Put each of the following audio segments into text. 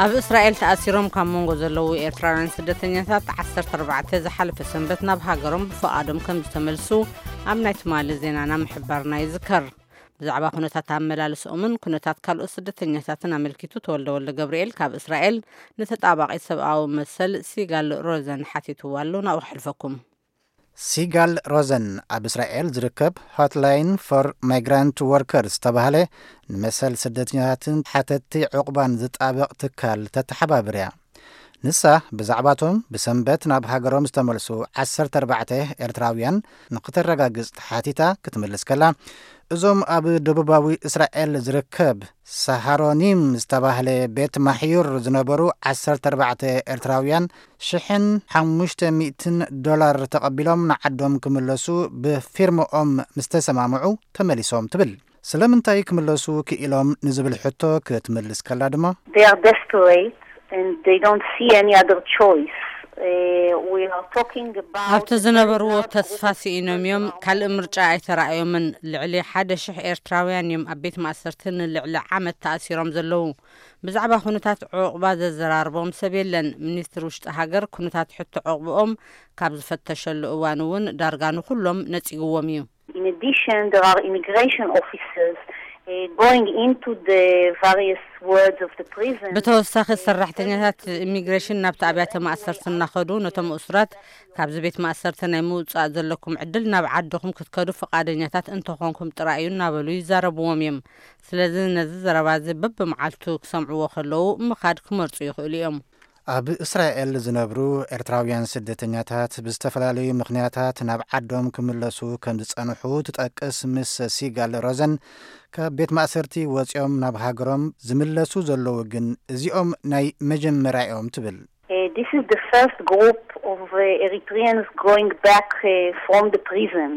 ኣብ እስራኤል ተኣሲሮም ካብ መንጎ ዘለዉ ኤርትራውያን ስደተኛታት ዓሰርተ ኣርባዕተ ዝሓለፈ ሰንበት ናብ ሃገሮም ብፍቓዶም ከም ዝተመልሱ ኣብ ናይ ትማሊ ዜናና ምሕባርና ይዝከር። ብዛዕባ ኩነታት ኣመላልስኦምን ኩነታት ካልኦት ስደተኛታትን ኣመልኪቱ ተወልደ ወልደ ገብርኤል ካብ እስራኤል ንተጣባቒ ሰብኣዊ መሰል ሲጋል ሮዘን ሓቲትዋ ኣሎ። ናብኡ ከሕልፈኩም። ሲጋል ሮዘን ኣብ እስራኤል ዝርከብ ሆትላይን ፎር ማይግራንት ወርከርስ ዝተባህለ ንመሰል ስደተኛታትን ሓተትቲ ዕቑባን ዝጣበቕ ትካል ተተሓባብር እያ። ንሳ ብዛዕባቶም ብሰንበት ናብ ሃገሮም ዝተመልሱ ዓሰርተ ኣርባዕተ ኤርትራውያን ንክተረጋግጽ ተሓቲታ ክትምልስ ከላ፣ እዞም ኣብ ደቡባዊ እስራኤል ዝርከብ ሳሃሮኒም ዝተባህለ ቤት ማሕዩር ዝነበሩ ዓሰርተ ኣርባዕተ ኤርትራውያን ሽሕን ሓሙሽተ ሚእትን ዶላር ተቐቢሎም ንዓዶም ክምለሱ ብፊርምኦም ምስ ተሰማምዑ ተመሊሶም ትብል። ስለምንታይ ክምለሱ ክኢሎም ንዝብል ሕቶ ክትምልስ ከላ ድማ፣ They are desperate and they don't see any other choice. Uh, we are talking about ኣብቲ ዝነበርዎ ተስፋ ስኢኖም እዮም። ካልእ ምርጫ ኣይተራእዮምን። ልዕሊ ሓደ ሽሕ ኤርትራውያን እዮም ኣብ ቤት ማእሰርቲ ንልዕሊ ዓመት ተኣሲሮም ዘለዉ። ብዛዕባ ኩነታት ዕቑባ ዘዘራርቦም ሰብ የለን። ሚኒስትሪ ውሽጢ ሃገር ኩነታት ሕቶ ዕቑብኦም ካብ ዝፈተሸሉ እዋን እውን ዳርጋ ንኹሎም ነጺግዎም እዩ። In addition, there are immigration officers uh, going into the various wards of the prison. ብተወሳኺ ሰራሕተኛታት ኢሚግሬሽን ናብቲ ኣብያተ ማእሰርቲ እናኸዱ ነቶም እሱራት ካብዚ ቤት ማእሰርቲ ናይ ምውፃእ ዘለኩም ዕድል ናብ ዓድኹም ክትከዱ ፍቓደኛታት እንተኾንኩም ጥራይ እዩ እናበሉ ይዛረብዎም እዮም። ስለዚ ነዚ ዘረባ እዚ በብመዓልቱ ክሰምዕዎ ከለዉ ምኻድ ክመርፁ ይኽእሉ እዮም። ኣብ እስራኤል ዝነብሩ ኤርትራውያን ስደተኛታት ብዝተፈላለዩ ምኽንያታት ናብ ዓዶም ክምለሱ ከም ዝጸንሑ ትጠቅስ ምስ ሲጋል ሮዘን፣ ካብ ቤት ማእሰርቲ ወጺኦም ናብ ሃገሮም ዝምለሱ ዘለዉ ግን እዚኦም ናይ መጀመርያ እዮም ትብል። Uh, this is the first group of uh, Eritreans going back uh, from the prison.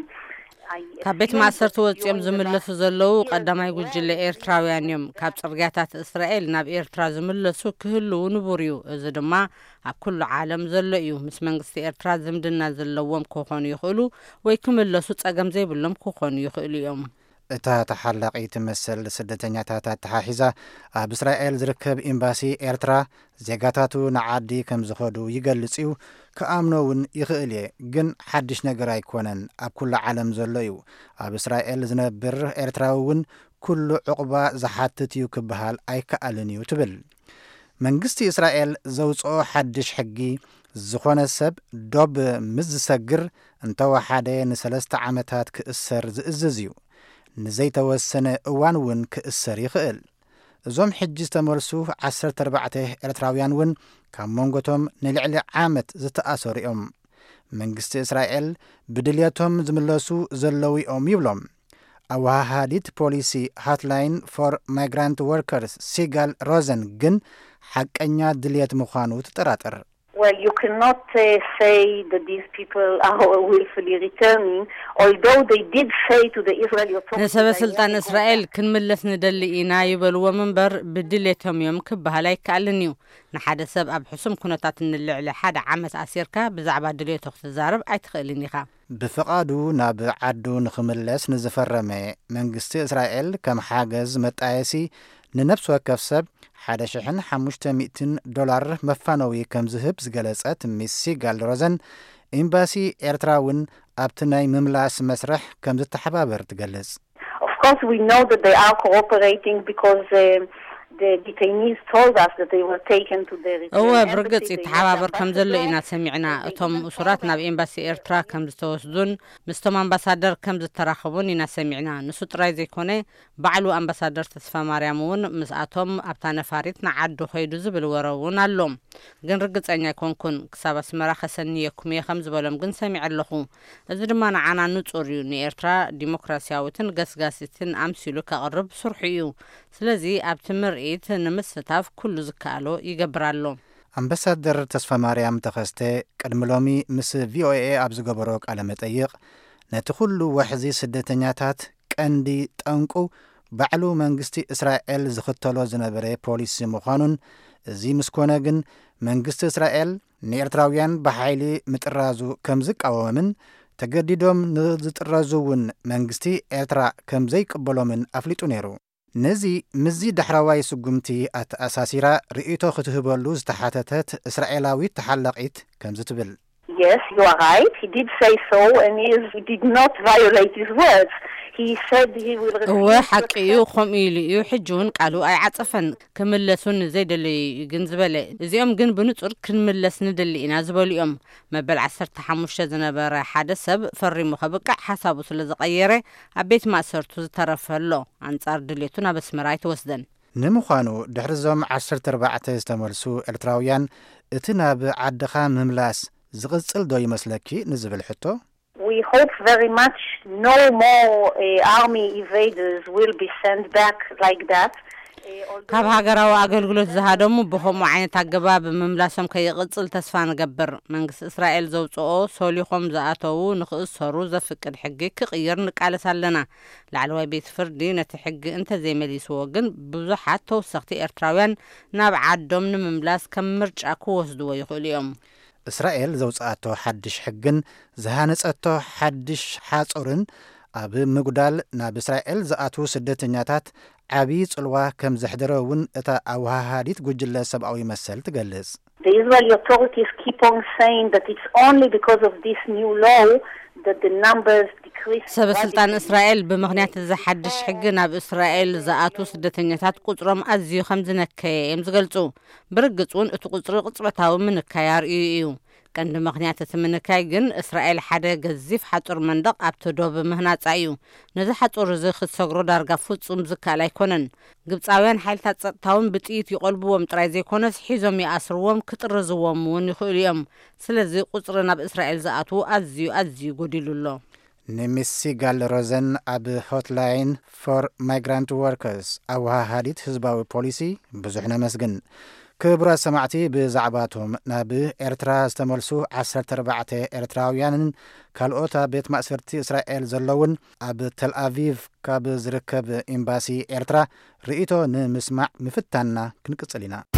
I ካብ ቤት assume ማእሰርቲ that ወጺኦም you in the ዝምለሱ ዘለዉ ቀዳማይ ጉጅለ ኤርትራውያን እዮም። ካብ ጽርግያታት እስራኤል ናብ ኤርትራ ዝምለሱ ክህልዉ ንቡር እዩ። እዚ ድማ ኣብ ኩሉ ዓለም ዘሎ እዩ። ምስ መንግስቲ ኤርትራ ዝምድና ዘለዎም ክኾኑ ይኽእሉ ወይ ክምለሱ ጸገም ዘይብሎም ክኾኑ ይኽእሉ እዮም። እታ ተሓላቒት መሰል ስደተኛታት ኣተሓሒዛ፣ ኣብ እስራኤል ዝርከብ ኤምባሲ ኤርትራ ዜጋታቱ ንዓዲ ከም ዝኸዱ ይገልጽ እዩ፣ ክኣምኖ እውን ይኽእል እየ። ግን ሓድሽ ነገር ኣይኮነን፣ ኣብ ኩሉ ዓለም ዘሎ እዩ። ኣብ እስራኤል ዝነብር ኤርትራዊ እውን ኩሉ ዕቑባ ዝሓትት እዩ ክበሃል ኣይከኣልን እዩ ትብል። መንግስቲ እስራኤል ዘውጽኦ ሓድሽ ሕጊ፣ ዝኾነ ሰብ ዶብ ምስ ዝሰግር እንተወሓደ ንሰለስተ ዓመታት ክእሰር ዝእዝዝ እዩ። ንዘይተወሰነ እዋን እውን ክእሰር ይኽእል። እዞም ሕጂ ዝተመልሱ ዓሰርተ ኣርባዕተ ኤርትራውያን እውን ካብ መንጎቶም ንልዕሊ ዓመት ዝተኣሰሩ እዮም። መንግስቲ እስራኤል ብድልየቶም ዝምለሱ ዘለዉ እዮም ይብሎም። ኣወሃሃዲት ፖሊሲ ሃትላይን ፎር ማይግራንት ወርከርስ ሲጋል ሮዘን ግን ሓቀኛ ድልየት ምዃኑ ትጠራጠር። Well, you cannot uh, say that these people are willfully returning, although they did say to the Israeli authorities, ንሰበ ስልጣን እስራኤል ክንምለስ ንደሊ ኢና ይበልዎም እምበር ብድሌቶም እዮም ክበሃል ኣይከኣልን እዩ። ንሓደ ሰብ ኣብ ሕሱም ኩነታት ንልዕሊ ሓደ ዓመት ኣሲርካ ብዛዕባ ድሌቶ ክትዛረብ ኣይትኽእልን ኢኻ። ብፍቓዱ ናብ ዓዱ ንኽምለስ ንዝፈረመ መንግስቲ እስራኤል ከም ሓገዝ መጣየሲ ንነፍሲ ወከፍ ሰብ ሓደ ሽሕን ሓሙሽተ ሚእትን ዶላር መፋነዊ ከም ዝህብ ዝገለጸት ሚስ ሲጋል ሮዘን፣ ኤምባሲ ኤርትራ እውን ኣብቲ ናይ ምምላስ መስርሕ ከም ዝተሓባበር ትገልጽ። Of course, we know that they are cooperating because uh, the detainees told us that they were taken to the Eritrean እወ embassy. ብርግጽ ይተሓባበር ከም ዘሎ ኢና ሰሚዕና። እቶም እሱራት ናብ ኤምባሲ ኤርትራ ከም ዝተወስዱን ምስቶም ኣምባሳደር ከም ዝተራኸቡን ኢና ሰሚዕና። ንሱ ጥራይ ዘይኮነ፣ ባዕሉ ኣምባሳደር ተስፋ ማርያም እውን ምስኣቶም ኣብታ ነፋሪት ንዓዱ ከይዱ ዝብል ወረ እውን ኣሎ። ግን ርግጸኛ ኣይኮንኩን። ክሳብ ኣስመራ ከሰንየኩም እየ ከም ዝበሎም ግን ሰሚዐ ኣለኹ። እዚ ድማ ንዓና ንጹር እዩ። ንኤርትራ ዲሞክራሲያዊትን ገስጋሲትን ኣምሲሉ ከቕርብ ስርሑ እዩ። ስለዚ ኣብቲ ምርኢት ንምስታፍ ኩሉ ዝከኣሎ ይገብር ኣሎ። ኣምባሳደር ተስፋ ማርያም ተኸስተ ቅድሚ ሎሚ ምስ ቪኦኤ ኣብ ዝገበሮ ቃለ መጠይቕ፣ ነቲ ኩሉ ወሕዚ ስደተኛታት ቀንዲ ጠንቁ ባዕሉ መንግስቲ እስራኤል ዝኽተሎ ዝነበረ ፖሊሲ ምዃኑን፣ እዚ ምስ ኮነ ግን መንግስቲ እስራኤል ንኤርትራውያን ብሓይሊ ምጥራዙ ከም ዝቃወምን፣ ተገዲዶም ንዝጥረዙ እውን መንግስቲ ኤርትራ ከም ዘይቅበሎምን ኣፍሊጡ ነይሩ። ነዚ ምስዚ ዳሕረዋይ ስጉምቲ ኣተኣሳሲራ ርእይቶ ክትህበሉ ዝተሓተተት እስራኤላዊት ተሓላቒት ከምዚ ትብል። Yes, you are right. He did say so, and he, is, he did not violate his words. He said he will refuse. እወ ሓቂ እዩ። ከምኡ ኢሉ እዩ። ሕጂ እውን ቃሉ ኣይዓጸፈን። ክምለሱን ዘይደለዩ እዩ ግን ዝበለ። እዚኦም ግን ብንጹር ክንምለስ ንደሊ ኢና ዝበሉ እዮም። መበል ዓሰርተ ሓሙሽተ ዝነበረ ሓደ ሰብ ፈሪሙ ከብቅዕ ሓሳቡ ስለ ዝቐየረ ኣብ ቤት ማእሰርቱ ዝተረፈ ኣሎ። ኣንጻር ድሌቱ ናብ ኣስመራ ኣይተወስደን። ንምዃኑ ድሕሪ እዞም ዓሰርተ ኣርባዕተ ዝተመልሱ ኤርትራውያን እቲ ናብ ዓድኻ ምምላስ ዝቕጽል ዶ ይመስለኪ ንዝብል ሕቶ፣ We hope very much no more uh, army evaders will be sent back like that. ካብ ሃገራዊ ኣገልግሎት ዝሃደሙ ብኸምኡ ዓይነት ኣገባብ ምምላሶም ከይቕጽል ተስፋ ንገብር። መንግስቲ እስራኤል ዘውፅኦ ሶሊኾም ዝኣተዉ ንኽእሰሩ ዘፍቅድ ሕጊ ክቕይር ንቃለስ ኣለና። ላዕለዋይ ቤት ፍርዲ ነቲ ሕጊ እንተዘይመሊስዎ ግን ብዙሓት ተወሰኽቲ ኤርትራውያን ናብ ዓዶም ንምምላስ ከም ምርጫ ክወስድዎ ይኽእሉ እዮም። እስራኤል ዘውፅኣቶ ሓድሽ ሕግን ዝሃነፀቶ ሓድሽ ሓፁርን ኣብ ምጉዳል ናብ እስራኤል ዝኣትዉ ስደተኛታት ዓብዪ ፅልዋ ከም ዘሕደረ እውን እታ ኣወሃሃዲት ጉጅለ ሰብኣዊ መሰል ትገልጽ። The Israeli authorities keep on saying that it's only because of this new law that the numbers decreased. ሰብ ስልጣን እስራኤል ብምኽንያት እዚ ሓድሽ ሕጊ ናብ እስራኤል ዝኣትዉ ስደተኛታት ቁፅሮም ኣዝዩ ከም ዝነከየ እዮም ዝገልጹ። ብርግጽ እውን እቲ ቁፅሪ ቅጽበታዊ ምንካይ ኣርእዩ እዩ። ቀንዲ ምኽንያት እቲ ምንካይ ግን እስራኤል ሓደ ገዚፍ ሓጹር መንደቕ ኣብቲ ዶብ ምህናጻ እዩ። ነዚ ሓጹር እዚ ክትሰግሮ ዳርጋ ፍጹም ዝከኣል ኣይኮነን። ግብጻውያን ሓይልታት ጸጥታውን ብጥይት ይቖልብዎም ጥራይ ዘይኮነስ ሒዞም ይኣስርዎም ክጥርዝዎም እውን ይኽእሉ እዮም። ስለዚ ቁጽሪ ናብ እስራኤል ዝኣትዉ ኣዝዩ ኣዝዩ ጎዲሉ ኣሎ። ንሚስ ሲጋል ሮዘን ኣብ ሆትላይን ፎር ማይግራንት ወርከርስ ኣወሃሃዲት ህዝባዊ ፖሊሲ ብዙሕ ነመስግን። ክቡራት ሰማዕቲ፣ ብዛዕባቶም ናብ ኤርትራ ዝተመልሱ ዓሰርተ ኣርባዕተ ኤርትራውያንን ካልኦት ኣብ ቤት ማእሰርቲ እስራኤል ዘለውን ኣብ ተልኣቪቭ ካብ ዝርከብ ኤምባሲ ኤርትራ ርእይቶ ንምስማዕ ምፍታንና ክንቅጽል ኢና።